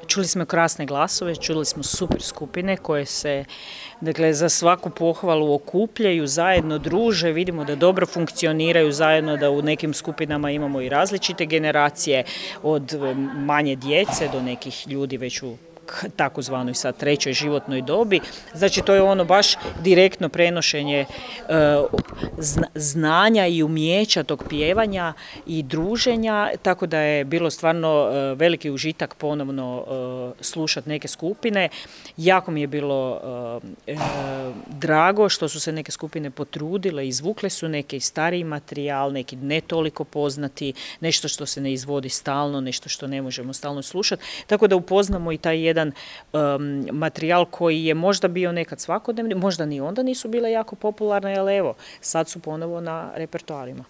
Čuli smo krasne glasove, čuli smo super skupine koje se, dakle, za svaku pohvalu okupljaju, zajedno druže, vidimo da dobro funkcioniraju zajedno, da u nekim skupinama imamo i različite generacije, od manje djece do nekih ljudi već u takozvanoj sad trećoj životnoj dobi. Znači to je ono baš direktno prenošenje znanja i umijeća tog pjevanja i druženja, tako da je bilo stvarno veliki užitak ponovno slušati neke skupine. Jako mi je bilo drago što su se neke skupine potrudile, izvukle su neki stariji materijal, neki ne toliko poznati, nešto što se ne izvodi stalno, nešto što ne možemo stalno slušati, tako da upoznamo i taj jedan materijal koji je možda bio nekad svakodnevni, možda ni onda nisu bile jako popularne, ali evo, sad su ponovo na repertoarima.